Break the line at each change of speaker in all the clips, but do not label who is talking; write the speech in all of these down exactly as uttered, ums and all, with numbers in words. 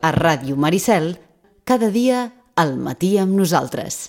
A Ràdio Maricel, cada dia al matí amb nosaltres.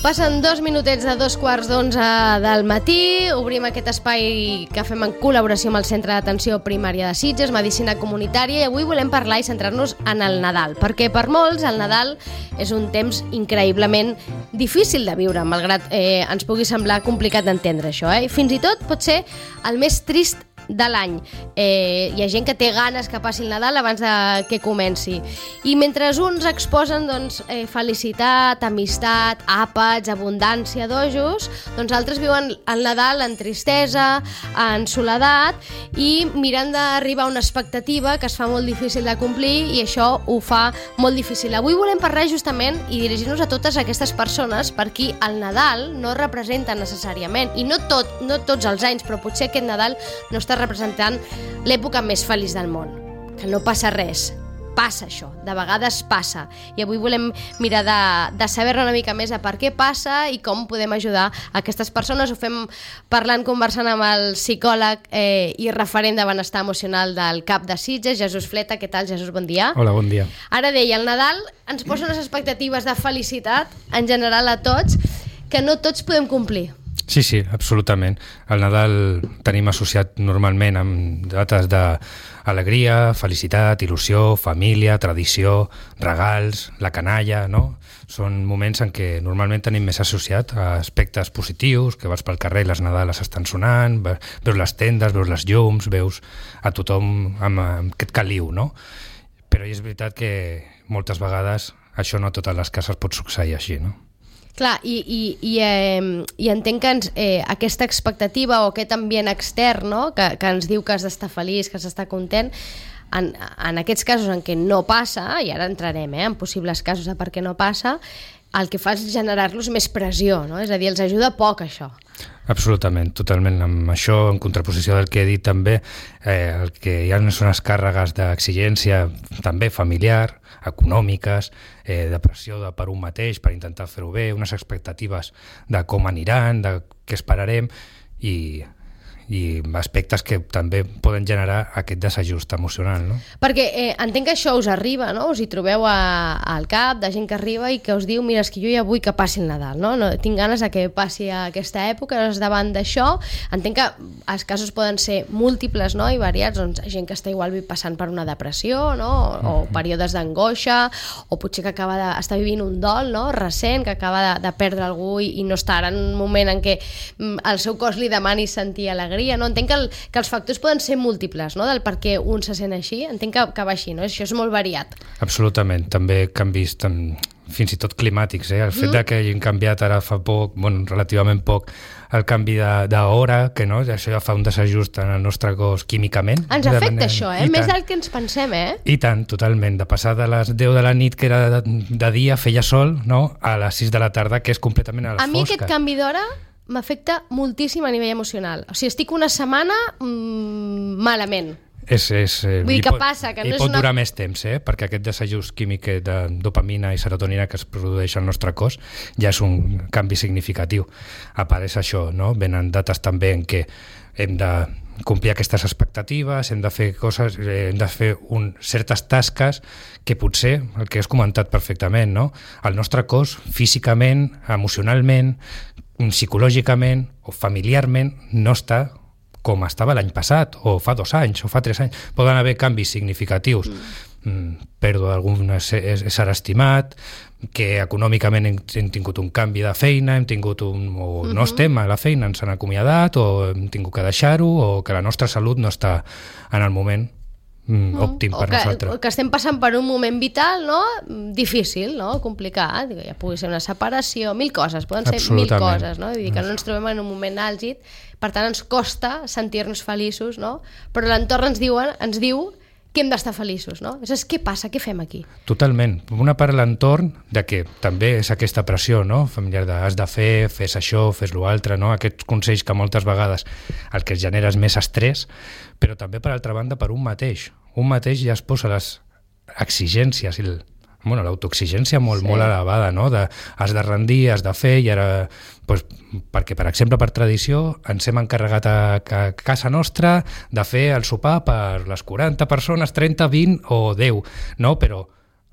Passen dos minutets de dos quarts d'onze del matí, obrim aquest espai que fem en col·laboració amb el Centre d'Atenció Primària de Sitges, Medicina Comunitària, i avui volem parlar i centrar-nos en el Nadal, perquè per molts el Nadal és un temps increïblement difícil de viure, malgrat eh, ens pugui semblar complicat d'entendre això, eh? Fins i tot pot ser el més trist de l'any. Eh, hi ha gent que té ganes que passi el Nadal abans de que comenci. I mentre uns exposen doncs, eh, felicitat, amistat, àpats, abundància, dojos, doncs altres viuen el Nadal en tristesa, en soledat i mirant d'arribar a una expectativa que es fa molt difícil de complir i això ho fa molt difícil. Avui volem parlar justament i dirigir-nos a totes aquestes persones per qui el Nadal no representa necessàriament, i no, tot, no tots els anys, però potser aquest Nadal no està representant l'època més feliç del món, que no passa res, passa això, de vegades passa, i avui volem mirar de, de saber-ne una mica més a per què passa i com podem ajudar a aquestes persones. Ho fem parlant, conversant amb el psicòleg eh, i referent de benestar emocional del C A P de Sitges, Jesús Fleta. Què tal, Jesús? Bon dia.
Hola, bon dia.
Ara deia, el Nadal ens posa unes expectatives de felicitat en general a tots que no tots podem complir.
Sí, sí, absolutament. El Nadal tenim associat normalment amb dates d'alegria, felicitat, il·lusió, família, tradició, regals, la canalla, no? Són moments en què normalment tenim més associat a aspectes positius, que vas pel carrer i les Nadales estan sonant, veus les tendes, veus les llums, veus a tothom amb aquest caliu, no? Però és veritat que moltes vegades això no a totes les cases pot succeir així, no?
Clar, i, i, i, eh, i entenc que ens, eh, aquesta expectativa o aquest ambient extern, no? que, que ens diu que has d'estar feliç, que has d'estar content, en, en aquests casos en què no passa, i ara entrarem eh, en possibles casos de per què no passa, el que fa és generar-los més pressió, no? És a dir, els ajuda poc això.
Absolutament, totalment. Amb això, en contraposició del que he dit també, eh, el que hi ha són les càrregues d'exigència també familiar, econòmiques, eh, de pressió de per un mateix per intentar fer-ho bé, unes expectatives de com aniran, de què esperarem i, i aspectes que també poden generar aquest desajust emocional, no?
Perquè eh, entenc que això us arriba, no? Us hi trobeu a, al cap de gent que arriba i que us diu, mira, és que jo ja vull que passi el Nadal, no? no tinc ganes de que passi aquesta època, doncs davant d'això entenc que els casos poden ser múltiples, no? I variats, doncs gent que està igual passant per una depressió, no? O, o períodes d'angoixa, o potser que acaba d'estar vivint un dol, no? Recent, que acaba de, de perdre algú i, i no està ara en un moment en què mm, el seu cos li demani sentir alegria. No? Entenc que, el, que els factors poden ser múltiples, no? Del per què un se sent així. Entenc que, que va així, no? Això és molt variat.
Absolutament. També canvis tam, fins i tot climàtics. Eh? El fet mm. de que hagin canviat ara fa poc, bueno, relativament poc, el canvi d'hora, que no? Això ja fa un desajust en el nostre cos químicament.
Ens afecta manera... això, eh? Més del que ens pensem, eh?
I tant, totalment. De passar de les deu de la nit, que era de, de dia, feia sol, no? A les sis de la tarda, que és completament a les
fosques. A mi
fosques.
aquest canvi d'hora m'afecta moltíssim a nivell emocional. O sigui, estic una setmana mmm, malament.
És, és, eh,
Vull dir, què
pot,
passa? Que
I
no
pot
és una...
durar més temps, eh? Perquè aquest desajust químic de dopamina i serotonina que es produeix al nostre cos ja és un canvi significatiu. Apareix això, no? Venen dates també en què hem de complir aquestes expectatives, hem de fer coses, eh, hem de fer un, certes tasques que potser, el que has comentat perfectament, no? El nostre cos, físicament, emocionalment, psicològicament o familiarment no està com estava l'any passat, o fa dos anys, o fa tres anys. Poden haver canvis significatius. Mm. Pèrdua d'algun ésser estimat, que econòmicament hem, hem tingut un canvi de feina, hem tingut un, o uh-huh. no estem a la feina, ens han acomiadat, o hem tingut que deixar-ho, o que la nostra salut no està en el moment Mm, òptim per
o que,
nosaltres.
O que estem passant per un moment vital, no? Difícil, no? Complicat, ja pugui ser una separació, mil coses, poden ser mil coses, no? Vull dir que no ens trobem en un moment àlgid, per tant ens costa sentir-nos feliços, no? Però l'entorn ens diu, ens diu que hem d'estar feliços, no? És què passa, què fem aquí?
Totalment. Una part de l'entorn, de que també és aquesta pressió, no?, familiar de has de fer, fes això, fes l'altre, no? Aquests consells que moltes vegades el que es genera és més estrès, però també, per altra banda, per un mateix. Un mateix ja es posa les exigències i el bueno, l'autoexigència molt, sí. molt elevada, no? De, has de rendir, has de fer, i ara, pues, perquè, per exemple, per tradició, ens hem encarregat a, a casa nostra de fer el sopar per les quaranta persones, trenta, vint o deu, no? Però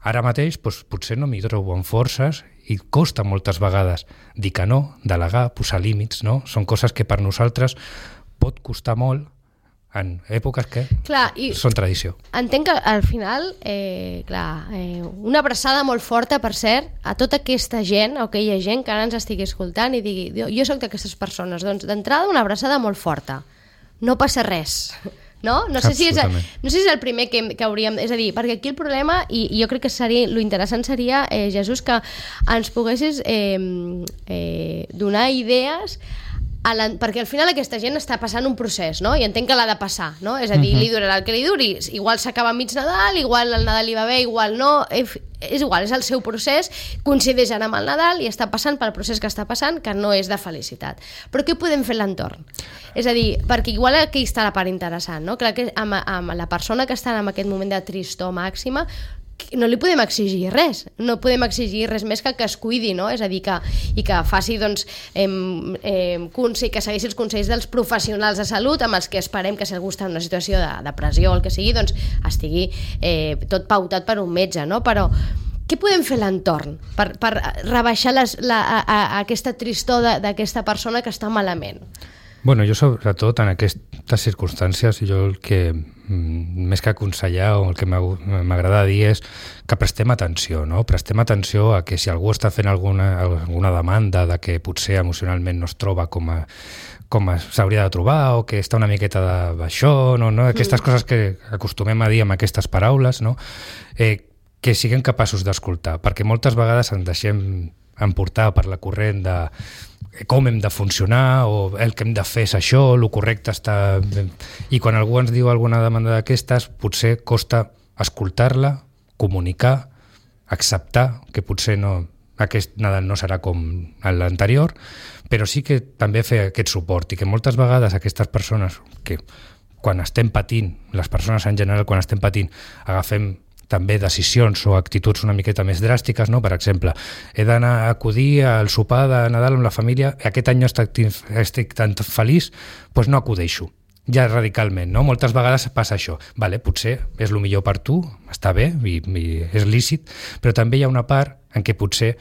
ara mateix pues, potser no m'hi trobo amb forces i costa moltes vegades dir que no, delegar, posar límits, no? Són coses que per nosaltres pot costar molt en èpoques que clar, i són tradició.
Entenc que al final, eh, clar, eh, una abraçada molt forta, per cert, a tota aquesta gent, o aquella gent que ara ens estigui escoltant i digui, jo sóc d'aquestes persones, doncs d'entrada una abraçada molt forta. No passa res. No? No sé si és, no sé si és el primer que, que hauríem... És a dir, perquè aquí el problema, i, i jo crec que seria, lo interessant seria, eh, Jesús, que ens poguessis eh, eh, donar idees a la, perquè al final aquesta gent està passant un procés, no? I entenc que l'ha de passar, no? És a dir, uh-huh. li durarà el que li duri, igual s'acaba mig Nadal, igual el Nadal li va bé, igual no, és igual, és el seu procés, coincideix ara amb el Nadal i està passant pel procés que està passant, que no és de felicitat. Però què podem fer a l'entorn? És a dir, perquè igual aquí està la part interessant, no? Clar que amb, amb la persona que està en aquest moment de tristor màxima, no li podem exigir res, no podem exigir res més que que es cuidi, no? És a dir, que, i que faci, doncs, eh, eh, consell, que segueixi els consells dels professionals de salut, amb els que esperem que si algú està en una situació de depressió o el que sigui, doncs estigui eh, tot pautat per un metge, no? Però què podem fer a l'entorn per, per rebaixar les, la, a, a, aquesta tristor d'aquesta persona que està malament?
Bueno, jo sobretot en aquestes circumstàncies, jo el que més que aconsellar o el que m'agrada dir és que prestem atenció, no? Prestem atenció a que si algú està fent alguna, alguna demanda de que potser emocionalment no es troba com a, com s'hauria de trobar o que està una miqueta de baixó, no? No? Aquestes mm. coses que acostumem a dir amb aquestes paraules, no? Eh, que siguem capaços d'escoltar, perquè moltes vegades ens deixem emportar per la corrent de com hem de funcionar o el que hem de fer és això, el correcte està... I quan algú ens diu alguna demanda d'aquestes, potser costa escoltar-la, comunicar, acceptar que potser no, aquest Nadal no serà com l'anterior, però sí que també fer aquest suport i que moltes vegades aquestes persones que quan estem patint, les persones en general quan estem patint, agafem també decisions o actituds una miqueta més dràstiques, no? Per exemple, he d'anar a acudir al sopar de Nadal amb la família, aquest any no estic, estic tan feliç, doncs no acudeixo, ja radicalment, no? Moltes vegades passa això, vale, potser és el millor per tu, està bé i, i és lícit, però també hi ha una part en què potser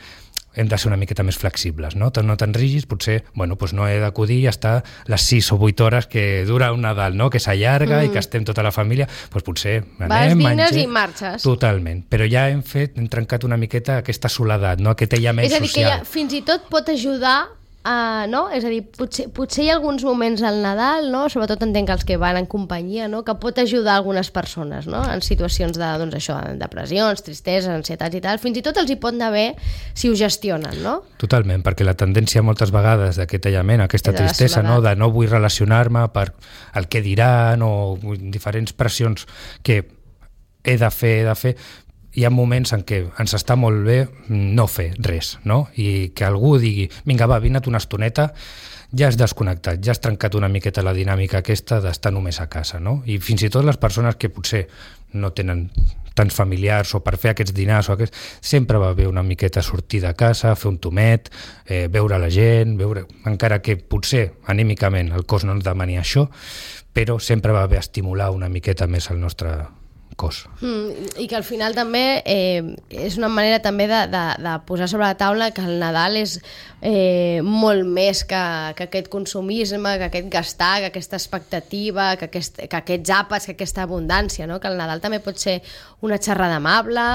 hem de ser una miqueta més flexibles, no? No tan rígids, potser, bueno, doncs no he d'acudir i estar les sis o vuit hores que dura un Nadal, no? Que s'allarga mm. i que estem tota la família, doncs potser anem,
vas, vines
mengem,
i marxes.
Totalment, però ja hem fet, hem trencat una miqueta aquesta soledat, no? Aquest aïllament social.
És a dir, social. Que ja, fins i tot pot ajudar Uh, no? És a dir, potser, potser hi ha alguns moments al Nadal, no? Sobretot entenc que els que van en companyia, no? Que pot ajudar algunes persones, no? En situacions de, doncs això, depressions, tristesa, ansietats i tal, fins i tot els hi pot anar bé si ho gestionen, no?
Totalment, perquè la tendència moltes vegades d'aquest aïllament, aquesta tristesa, no? De no vull relacionar-me per el que diran o diferents pressions que he de fer, he de fer, hi ha moments en què ens està molt bé no fer res, no? I que algú digui, vinga va, vina't una estoneta, ja has desconnectat, ja has trencat una miqueta la dinàmica aquesta d'estar només a casa, no? I fins i tot les persones que potser no tenen tants familiars o per fer aquests dinars o aquests, sempre va bé una miqueta sortir de casa, fer un tomet, eh, veure la gent, veure, encara que potser anímicament el cos no ens demani això, però sempre va bé estimular una miqueta més el nostre cos.
Mm, i que al final també eh, és una manera també de, de, de posar sobre la taula que el Nadal és eh, molt més que, que aquest consumisme, que aquest gastar, que aquesta expectativa, que, aquest, que aquests àpats, que aquesta abundància, no? Que el Nadal també pot ser una xerrada amable,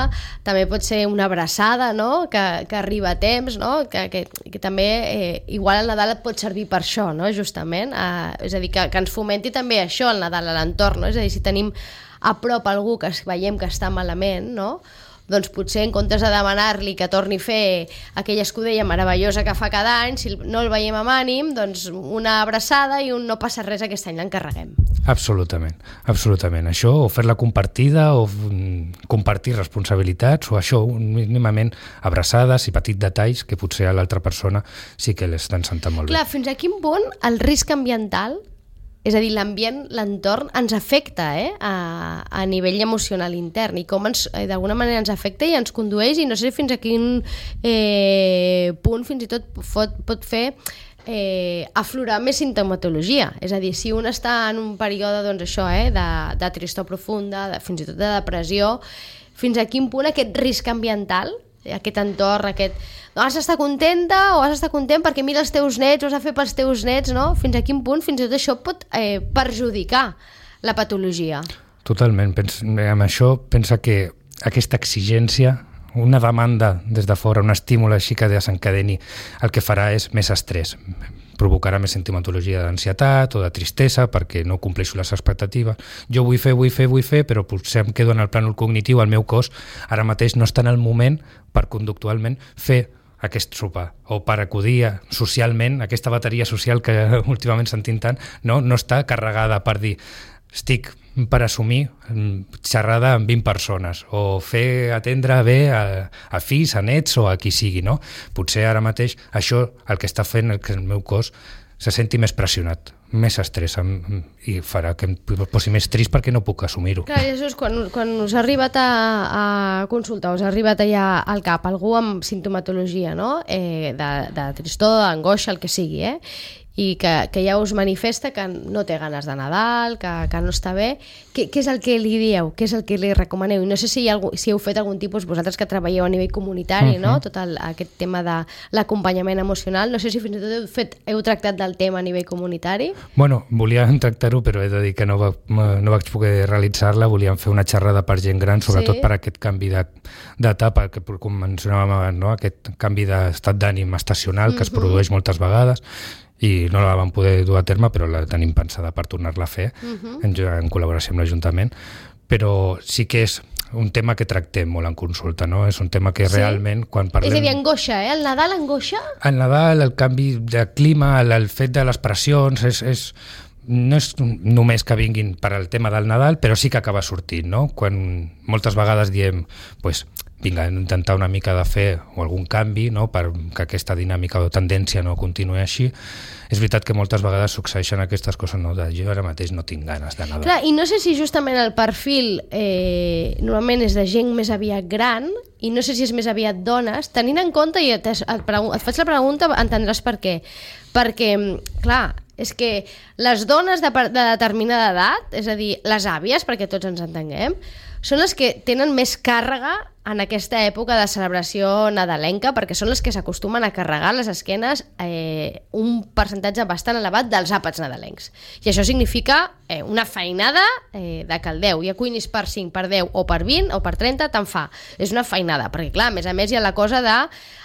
també pot ser una abraçada, no? que, que arriba a temps, no? que, que, que també eh, igual el Nadal et pot servir per això, no? Justament, eh, és a dir, que, que ens fomenti també això el Nadal a l'entorn, no? És a dir, si tenim a prop algú que veiem que està malament, no? doncs potser en comptes de demanar-li que torni a fer aquella escudella meravellosa que fa cada any, si no el veiem amb ànim, doncs una abraçada i un no passa res, aquest any l'encarreguem.
Absolutament, absolutament. Això, o fer-la compartida, o compartir responsabilitats, o això, mínimament abraçades i petits detalls que potser a l'altra persona sí que l'estan sentant molt bé.
Clar, fins a quin punt el risc ambiental, és a dir, l'ambient, l'entorn, ens afecta eh? a, a nivell emocional intern i com ens, d'alguna manera ens afecta i ens condueix, i no sé fins a quin eh, punt fins i tot pot, pot fer eh, aflorar més sintomatologia. És a dir, si un està en un període doncs, això, eh, de, de tristor profunda, de, fins i tot de depressió, fins a quin punt aquest risc ambiental, aquest entorn, aquest... No, has d'estar contenta o has d'estar content perquè mira els teus nets o has de fer pels teus nets, no? Fins a quin punt fins i tot això pot eh, perjudicar la patologia.
Totalment. Pens, amb això pensa que aquesta exigència, una demanda des de fora, un estímul així que desencadeni, el que farà és més estrès. Provocarà més sintomatologia d'ansietat o de tristesa perquè no compleixo les expectatives. Jo vull fer, vull fer, vull fer, però potser em quedo en el plànol cognitiu, el meu cos ara mateix no està en el moment per conductualment fer aquest sopar, o per acudir socialment, aquesta bateria social que últimament sentim tant, no, no està carregada per dir estic per assumir xerrada amb vint persones o fer atendre bé a, a fills, a nets o a qui sigui, no? Potser ara mateix això el que està fent que el meu cos se senti més pressionat, més estrès i farà que em posi més trist perquè no puc assumir-ho.
Clar, Jesús, quan, quan us ha arribat a, a consultar, us ha arribat allà al cap algú amb sintomatologia, no? eh, de, de tristor, d'angoixa, el que sigui, eh? i que, que ja us manifesta que no té ganes de Nadal, que, que no està bé, què, què és el que li dieu? Què és el que li recomaneu? I no sé si, hi ha algú, si heu fet algun tipus, vosaltres que treballeu a nivell comunitari, uh-huh. no? Tot el, aquest tema de l'acompanyament emocional, no sé si fins i tot heu, fet, heu tractat del tema a nivell comunitari?
Bueno, volíem tractar-ho, però he de dir que no, va, no vaig poder realitzar-la, volíem fer una xerrada per gent gran, sobretot sí. per aquest canvi d'etapa, que com mencionàvem abans, no? Aquest canvi d'estat d'ànim estacional que uh-huh. es produeix moltes vegades, i no la vam poder dur a terme, però la tenim pensada per tornar-la a fer uh-huh. en, en col·laboració amb l'Ajuntament, però sí que és un tema que tractem molt en consulta, no? És un tema que sí? realment quan parlem...
És a dir, angoixa, eh? El Nadal angoixa?
El Nadal, el canvi de clima, el, el fet de les pressions, és, és, no és només que vinguin per al tema del Nadal, però sí que acaba sortint, no? Quan moltes vegades diem, pues, vinga, intentar una mica de fer o algun canvi, no? Perquè aquesta dinàmica o tendència no continuï així. És veritat que moltes vegades succeeixen aquestes coses, no? De jo ara mateix no tinc ganes de Nadal.
Clar, i no sé si justament el perfil eh, normalment és de gent més aviat gran, i no sé si és més aviat dones, tenint en compte, i et, et, et faig la pregunta, entendràs per què. Perquè, clar, és que les dones de, de determinada edat, és a dir, les àvies, perquè tots ens entenguem, són les que tenen més càrrega en aquesta època de celebració nadalenca, perquè són les que s'acostumen a carregar les esquenes eh, un percentatge bastant elevat dels àpats nadalencs. I això significa eh, una feinada eh, de caldeu. Ja cuinis per cinc, per deu o per vint o per trenta, te'n fa. És una feinada, perquè clar, a més a més hi ha la cosa de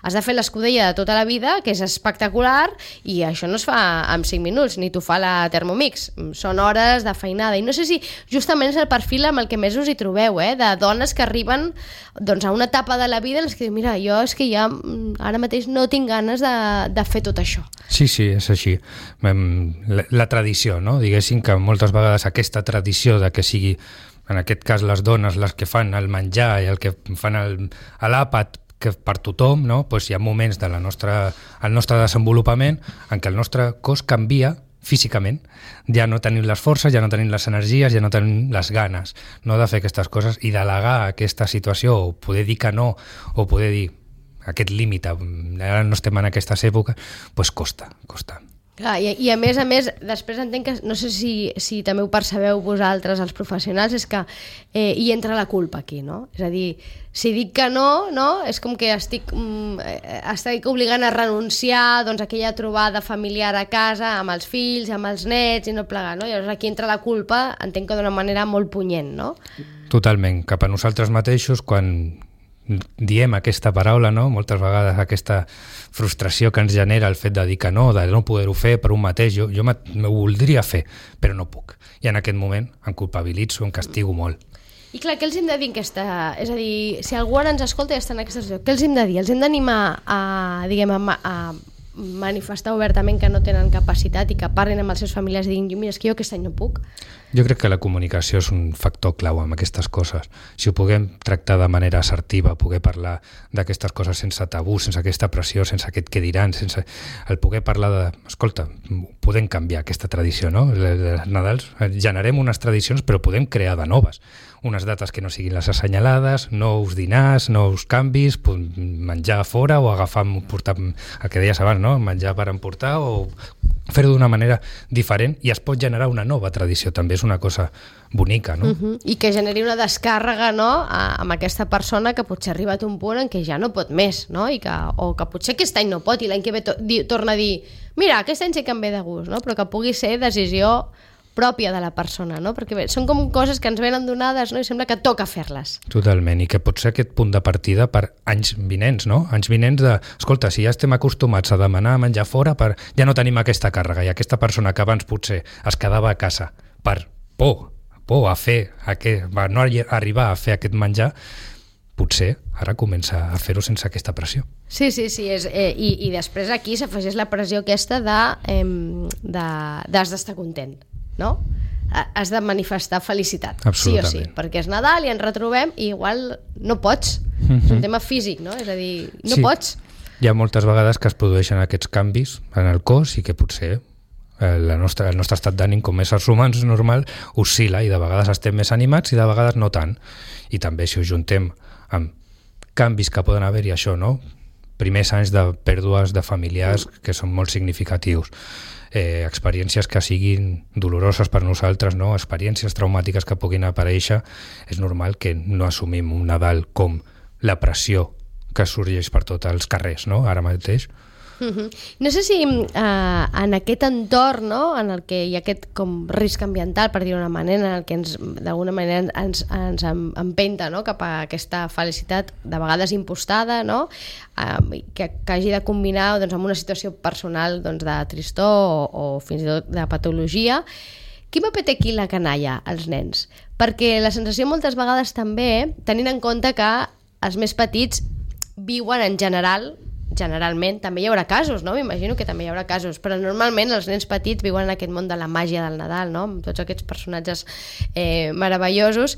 has de fer l'escudella de tota la vida, que és espectacular, i això no es fa en cinc minuts, ni t'ho fa la Thermomix. Són hores de feinada. I no sé si justament és el perfil amb el que més us hi trobeu, eh, de dones que arriben doncs, a una etapa de la vida en les que diu, mira, jo és que ja ara mateix no tinc ganes de, de fer tot això.
Sí, sí, és així. La, la tradició, no? Diguéssim que moltes vegades aquesta tradició de que sigui, en aquest cas les dones, les que fan el menjar i el que fan l'àpat que per tothom, no? Pues hi ha moments de la nostra, el nostre desenvolupament en què el nostre cos canvia físicament, ja no tenim les forces, ja no tenim les energies, ja no tenim les ganes, no, de fer aquestes coses, i delegar aquesta situació, o poder dir que no, o poder dir aquest límit, ara no estem en aquestes èpoques, doncs costa, costa.
Clar, i, i a més a més, després entenc que, no sé si, si també ho percebeu vosaltres, els professionals, és que eh, hi entra la culpa aquí, no? És a dir, si dic que no, no, és com que estic, mm, estic obligant a renunciar doncs, a aquella trobada familiar a casa, amb els fills, amb els nets, i no plegar, no? Llavors aquí entra la culpa, entenc que d'una manera molt punyent, no? Totalment, cap a nosaltres mateixos, quan diem aquesta paraula, no? Moltes vegades aquesta frustració que ens genera el fet de dir que no, de no poder-ho fer per un mateix, jo, jo m'ho voldria fer, però no puc. I en aquest moment em culpabilitzo, em castigo molt. I clar, què els hem de dir en aquesta... És a dir, si algú ara ens escolta i està en aquesta situació, què els hem de dir? Els hem d'animar a, diguem, a, a manifestar obertament que no tenen capacitat i que parlin amb els seus familiars i diguin, mira, és que jo aquest any no puc.
Jo crec que la comunicació és un factor clau amb aquestes coses. Si ho puguem tractar de manera assertiva, poder parlar d'aquestes coses sense tabú, sense aquesta pressió, sense aquest què diran, sense el poder parlar de... Escolta, podem canviar aquesta tradició, no? Els Nadals, generem unes tradicions, però podem crear de noves. Unes dates que no siguin les assenyalades, nous dinars, nous canvis, menjar a fora o agafar, portar, el que deies abans, no? Menjar per emportar o fer-ho d'una manera diferent i es pot generar una nova tradició, també és una cosa bonica, no? Uh-huh.
I que generi una descàrrega, no?, a, amb aquesta persona que potser ha arribat a un punt en què ja no pot més, no? I que, o que potser aquest any no pot i l'any que ve to di, torna a dir mira, aquest any sí que em ve de gust, no? Però que pugui ser decisió pròpia de la persona, no? Perquè bé, són com coses que ens venen donades, no? I sembla que toca fer-les.
Totalment, i que pot ser aquest punt de partida per anys vinents, no? Anys vinents de, escolta, si ja estem acostumats a demanar menjar fora, per... ja no tenim aquesta càrrega, i aquesta persona que abans potser es quedava a casa per por, por a fer, a que, a no arribar a fer aquest menjar, potser ara comença a fer-ho sense aquesta pressió.
Sí, sí, sí, és, eh, i, i després aquí s'afegeix la pressió aquesta de, eh, de, d'has d'estar content, no? Has de manifestar felicitat, sí o sí, perquè és Nadal i ens retrobem i igual no pots, mm-hmm. és un tema físic, no? És a dir, no sí. pots.
Hi ha moltes vegades que es produeixen aquests canvis en el cos i que potser la nostra, el nostre estat d'ànim com éssers humans normal oscil·la i de vegades estem més animats i de vegades no tant. I també si ho juntem amb canvis que poden haver-hi això, no? Primers anys de pèrdues de familiars que són molt significatius. Eh, experiències que siguin doloroses per nosaltres, no? Experiències traumàtiques que puguin aparèixer, és normal que no assumim un Nadal com la pressió que sorgeix per tots els carrers, no? Ara mateix.
Uh-huh. No sé si uh, en aquest entorn, no? En el que hi ha aquest com risc ambiental, per dir-ho d'una manera, en el que ens, d'alguna manera ens, ens empenta, no? Cap a aquesta felicitat de vegades impostada, no? Uh, que, que hagi de combinar doncs, amb una situació personal doncs, de tristor o, o fins i tot de patologia. Quin paper té aquí la canalla, els nens? Perquè la sensació moltes vegades també, tenint en compte que els més petits viuen en general generalment, també hi haurà casos, no? M'imagino que també hi haurà casos, però normalment els nens petits viuen en aquest món de la màgia del Nadal, no? Amb tots aquests personatges eh, meravellosos.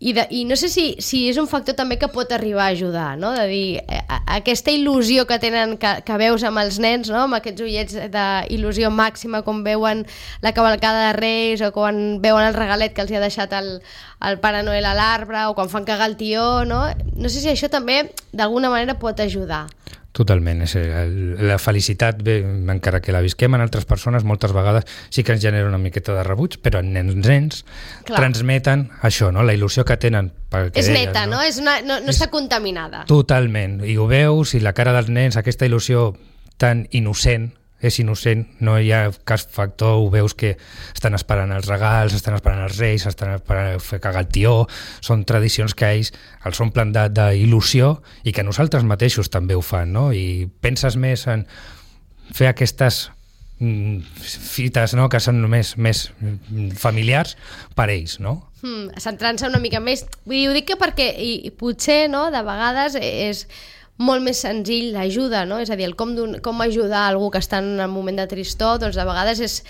I, de, i no sé si, si és un factor també que pot arribar a ajudar, no? De dir, eh, aquesta il·lusió que tenen, que, que veus amb els nens, no? Amb aquests ullets d'il·lusió màxima, com veuen la cavalcada de Reis o quan veuen el regalet que els hi ha deixat el, el Pare Noel a l'arbre o quan fan cagar el tió, no? No sé si això també d'alguna manera pot ajudar.
Totalment, és el, la felicitat, bé, encara que la visquem en altres persones, moltes vegades sí que ens genera una miqueta de rebuig, però en nens, nens transmeten això, no? La il·lusió que tenen. Que
és
deies,
neta, no? no? És una, no, no és, està contaminada.
Totalment, i ho veus, i la cara dels nens, aquesta il·lusió tan innocent, és innocent, no hi ha cap factor, ho veus que estan esperant els regals, estan esperant els reis, estan esperant fer cagar el tió, són tradicions que ells els omplen d'il·lusió i que nosaltres mateixos també ho fan, no? I penses més en fer aquestes mm, fites, no?, que són més, més familiars per ells, no?
Hmm, centrant-se una mica més. Vull dir, ho dic que perquè i, i potser, no?, de vegades és molt més senzill l'ajuda, no? És a dir, el com, com ajudar algú que està en un moment de tristor, doncs de vegades és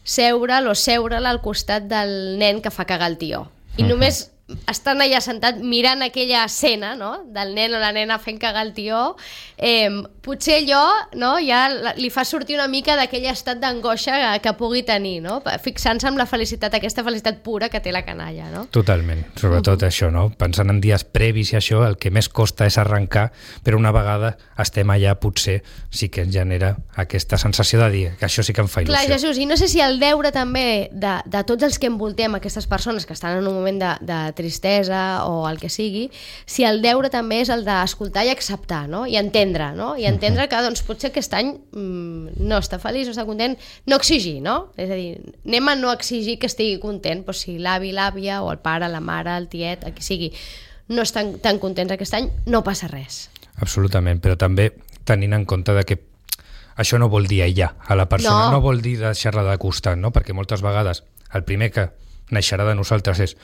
seure'l o seure-la al costat del nen que fa cagar el tió. I uh-huh. només estan allà sentat mirant aquella escena, no?, del nen o la nena fent cagar el tió, eh, potser allò, no?, ja li fa sortir una mica d'aquell estat d'angoixa que, que pugui tenir, no?, fixant-se en la felicitat, aquesta felicitat pura que té la canalla, no?
Totalment, sobretot uh-huh. això, no? Pensant en dies previs i això, el que més costa és arrencar, però una vegada estem allà potser sí que ens genera aquesta sensació de dir que això sí que em fa il·lusió.
Clar, Jesús, i no sé si el deure també de, de tots els que envoltem aquestes persones que estan en un moment de, de tristesa o el que sigui, si el deure també és el d'escoltar i acceptar, no? I entendre, no? I entendre que doncs, potser aquest any mmm, no està feliç, no està content, no exigir, no? És a dir, anem a no exigir que estigui content, però si l'avi, l'àvia o el pare, la mare, el tiet, el que sigui, no estan tan contents aquest any, no passa res.
Absolutament, però també tenint en compte de que això no vol dir aïllar a la persona, no, no vol dir deixar-la de costat, no? Perquè moltes vegades el primer que naixerà de nosaltres és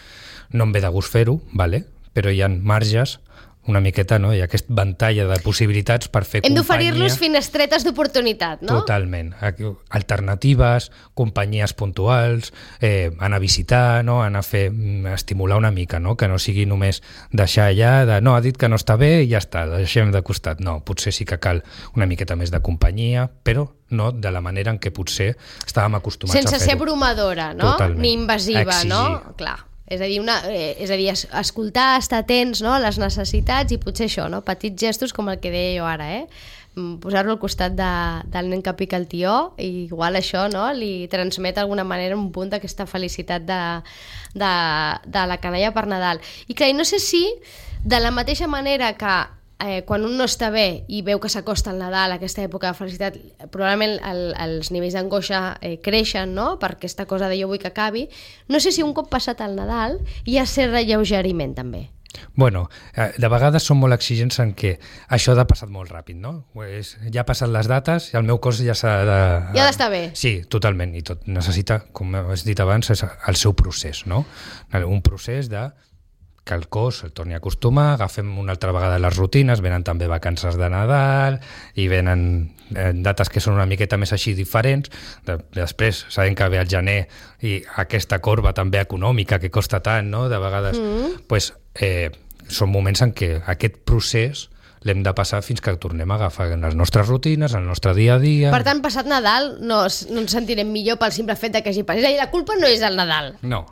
no em ve de gust fer-ho, vale? Però hi ha marges, una miqueta, no? Hi ha aquest ventall de possibilitats per fer
Hem
companyia.
d'oferir-los finestretes d'oportunitat, no?
Totalment. Alternatives, companyies puntuals, eh, anar a visitar, no? Anar a fer, estimular una mica, no? Que no sigui només deixar allà de no, ha dit que no està bé i ja està, deixem de costat. No, potser sí que cal una miqueta més de companyia, però no de la manera en què potser estàvem acostumats
Sense
a fer-ho.
ser bromadora, no?
Totalment.
Ni invasiva,
Exigir.
no? Clar. És a dir, una, eh, és a dir, escoltar, estar atents, no?, a les necessitats i potser això, no?, petits gestos com el que deia jo ara, eh? Posar-lo al costat de, del nen que pica el tió i igual això, no?, li transmet d'alguna manera un punt d'aquesta felicitat de, de, de la canalla per Nadal. I clar, no sé si de la mateixa manera que Eh, quan un no està bé i veu que s'acosta el Nadal, aquesta època de felicitat, probablement el, els nivells d'angoixa eh, creixen, no?, per aquesta cosa de jo vull que acabi. No sé si un cop passat el Nadal hi ha cert relleugeriment també.
Bueno, de vegades som molt exigents en què això ha passat molt ràpid, no? Pues ja ha passat les dates i el meu cos ja s'ha de...
Ja ha d'estar bé.
Sí, totalment, i tot necessita, com has dit abans, el seu procés, no? Un procés de que el cos el torni a acostumar, agafem una altra vegada les rutines, venen també vacances de Nadal i venen dates que són una miqueta més així diferents. De, després sabem que ve el gener i aquesta corba també econòmica que costa tant, no? De vegades mm. pues, eh, són moments en què aquest procés l'hem de passar fins que tornem a agafar les nostres rutines, el nostre dia a dia.
Per tant, passat Nadal no, no ens sentirem millor pel simple fet de que hagi passat. És a dir, la culpa no és el Nadal.
No.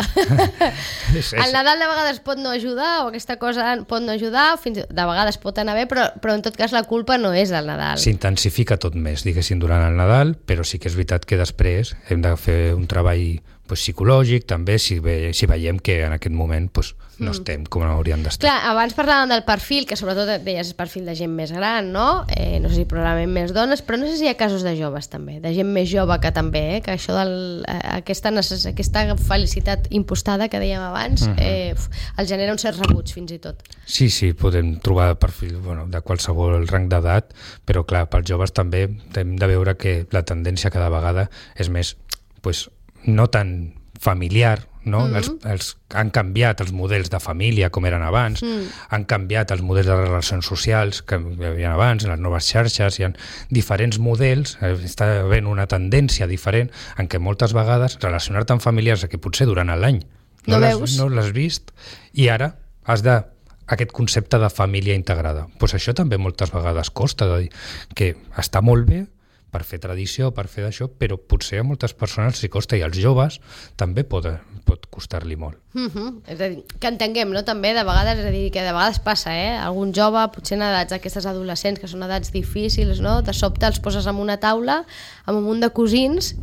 és, és... El Nadal de vegades pot no ajudar o aquesta cosa pot no ajudar, fins de vegades pot anar bé, però, però en tot cas la culpa no és el Nadal.
S'intensifica tot més, diguéssim, durant el Nadal, però sí que és veritat que després hem de fer un treball pues, psicològic, també, si, ve, si veiem que en aquest moment pues, no mm. estem com hauríem d'estar.
Clar, abans parlàvem del perfil, que sobretot deies és perfil de gent més gran, no? Eh, no sé si probablement més dones, però no sé si hi ha casos de joves també, de gent més jove que també, eh? Que això del, eh, aquesta, necess... aquesta felicitat impostada que dèiem abans, mm-hmm. eh, el genera un cert rebuig fins i tot.
Sí, sí, podem trobar perfil bueno, de qualsevol rang d'edat, però clar, pels joves també hem de veure que la tendència cada vegada és més, pues, no tan familiar, no? Mm-hmm. els, els, han canviat els models de família com eren abans, mm. han canviat els models de relacions socials que hi havia abans, les noves xarxes, hi ha diferents models, està havent una tendència diferent en què moltes vegades relacionar-te amb familiars que potser durant l'any no,
no,
no l'has vist i ara has de aquest concepte de família integrada. Pues això també moltes vegades costa, de dir que està molt bé per fer tradició, per fer d'això, però potser a moltes persones s'hi costa i als joves també pot, pot costar-li molt.
Mm-hmm. És a dir, que entenguem, no? També de vegades, és a dir, que de vegades passa, eh? Algun jove, potser en edats d'aquestes adolescents, que són edats difícils, no? De sobte els poses en una taula amb un munt de cosins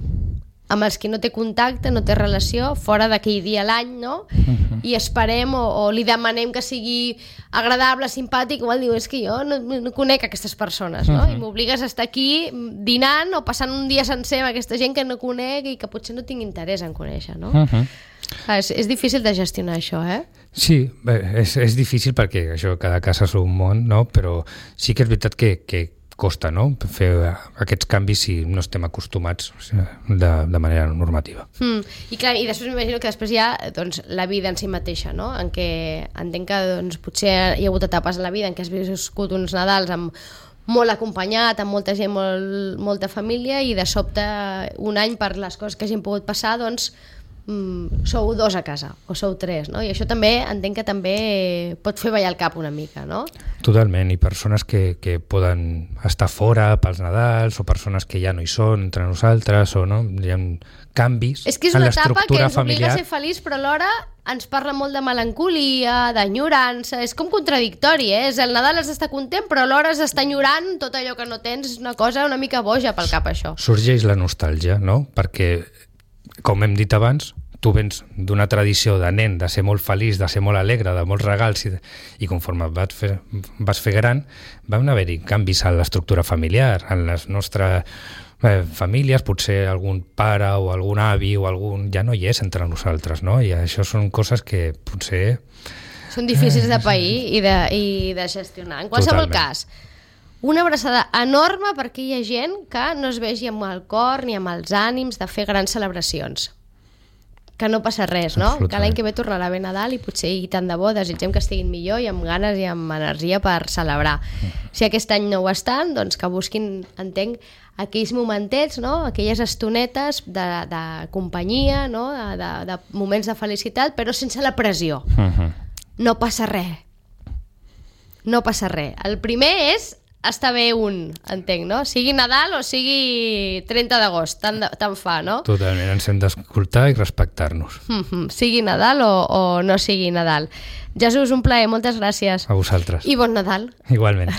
amb els que no té contacte, no té relació, fora d'aquell dia a l'any, no? Uh-huh. I esperem o, o li demanem que sigui agradable, simpàtic, igual diu, és que jo no, no conec aquestes persones, no? Uh-huh. I m'obligues a estar aquí dinant o passant un dia sencer amb aquesta gent que no conec i que potser no tinc interès en conèixer, no? Uh-huh. Ah, és, és difícil de gestionar això, eh?
Sí, bé, és, és difícil perquè això, cada casa és un món, no? Però sí que és veritat que, que costa, no?, fer aquests canvis si no estem acostumats de, de manera normativa.
Mm. I clar, i després m'imagino que després hi ha doncs, la vida en si mateixa, no?, en què entenc que doncs, potser hi ha hagut etapes en la vida en què has viscut uns Nadals amb molt acompanyat, amb molta gent, molt, molta família, i de sobte un any per les coses que hagin pogut passar, doncs Mm, sou dos a casa, o sou tres, no? I això també, entenc que també pot fer ballar el cap una mica, no?
Totalment, i persones que, que poden estar fora pels Nadals, o persones que ja no hi són entre nosaltres, o no, hi ha canvis en l'estructura familiar.
És que és una etapa que ens obliga a ser feliç, però alhora ens parla molt de melancolia, d'enyorança, és com contradictori, eh? És el Nadal has d'estar content, però alhora has d'estar enyorant tot allò que no tens, és una cosa una mica boja pel cap, això.
Sorgeix la nostàlgia, no? Perquè com hem dit abans, tu vens d'una tradició de nen, de ser molt feliç, de ser molt alegre, de molts regals, i, i conforme vas fer, vas fer gran, van haver-hi canvis a l'estructura familiar, en les nostres eh, famílies, potser algun pare o algun avi o algun ja no hi és entre nosaltres, no? I això són coses que potser...
Són difícils de pair i de, i de gestionar. En qualsevol Totalment. cas, una abraçada enorme per aquella gent que no es vegi amb el cor ni amb els ànims de fer grans celebracions. que no passa res, no? Que l'any que ve tornarà bé Nadal i potser i tant de bo desitgem que estiguin millor i amb ganes i amb energia per celebrar. Si aquest any no ho estan, doncs que busquin, entenc, aquells momentets, no? Aquelles estonetes de, de companyia, no? de, de, de moments de felicitat, però sense la pressió. Uh-huh. No passa res. No passa res. El primer és està bé un, entenc, no? Sigui Nadal o sigui trenta d'agost, tant, tant fa, no?
Totalment, ens hem d'escoltar i respectar-nos.
Mm-hmm. Sigui Nadal o, o no sigui Nadal. Jesús, un plaer, moltes gràcies.
A vosaltres.
I bon Nadal.
Igualment.